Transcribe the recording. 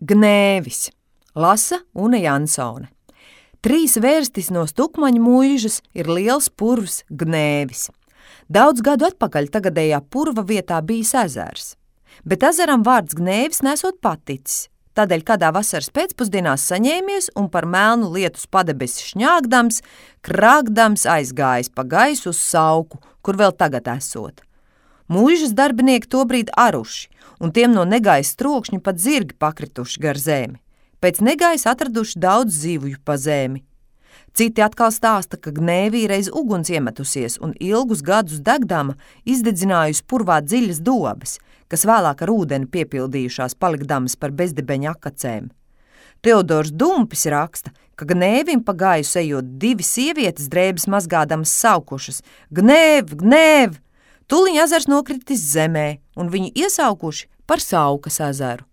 Gnēvis, lasa Une Jansone. 3 vērstis no Stukmaņu muižas ir liels purvs Gnēvis. Daudz gadu atpakaļ tagadējā purva vietā bijis ezers, bet ezeram vārds Gnēvis nesot paticis. Tādēļ kādā vasaras pēcpusdienās saņēmies un par melnu lietus padebesi šņāgdams, krāgdams aizgājis pa gaisu uz Sauku, kur vēl tagad esot. Muižas darbinieki tobrīd aruši, un tiem no negaisa trokšņa pat zirgi pakrituši gar zemi. Pēc negaisa atraduši daudz zivju pa zemi. Citi atkal stāsta, ka Gnēvī reiz uguns iemetusies un ilgus gadus degdama izdedzinājusi purvā dziļas dobes, kas vēlāk ar ūdeni piepildījušās palikdamas par bezdibeņa akacēm. Teodors Dumpis raksta, ka Gnēvim pa gaisu ejot 2 sievietes drēbes mazgādamas saukušas: Gnēv, Gnēv! Tuliņ ezers nokritis zemē, un viņu iesaukuši par Saukas ezeru.